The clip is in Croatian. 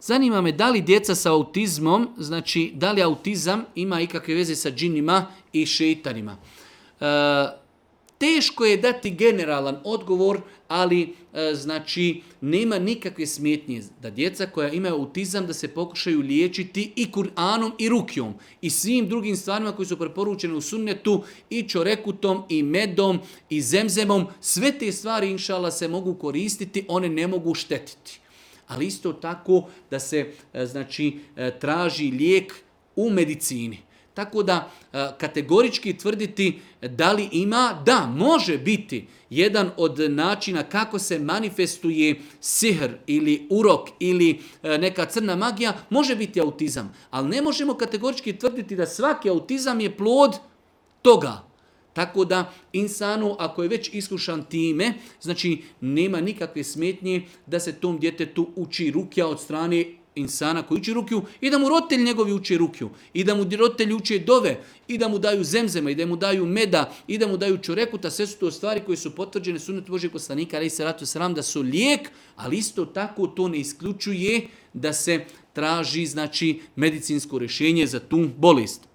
Zanima me da li djeca sa autizmom, znači da li autizam ima ikakve veze sa džinima i šeitanima. Teško je dati generalan odgovor, ali znači nema nikakve smetnje da djeca koja imaju autizam da se pokušaju liječiti i Kur'anom i rukjom i svim drugim stvarima koji su preporučene u sunnetu i čorekutom i medom i zemzemom. Sve te stvari inšallah se mogu koristiti, one ne mogu štetiti. Ali isto tako da se znači traži lijek u medicini. Tako da kategorički tvrditi da li ima, da, može biti jedan od načina kako se manifestuje sihr ili urok ili neka crna magija, može biti autizam. Ali ne možemo kategorički tvrditi da svaki autizam je plod toga. Tako da insanu, ako je već iskušan time, znači nema nikakve smetnje da se tom djetetu uči rukja od strane insana koji uči rukju i da mu roditelji njegovi uči rukju i da mu roditelji uče dove i da mu daju zemzema i da mu daju meda i da mu daju čorekuta. Sve su to stvari koje su potvrđene sunnetu Božijeg poslanika alejhi selatu vesselam da su lijek, ali isto tako to ne isključuje da se traži znači medicinsko rješenje za tu bolest.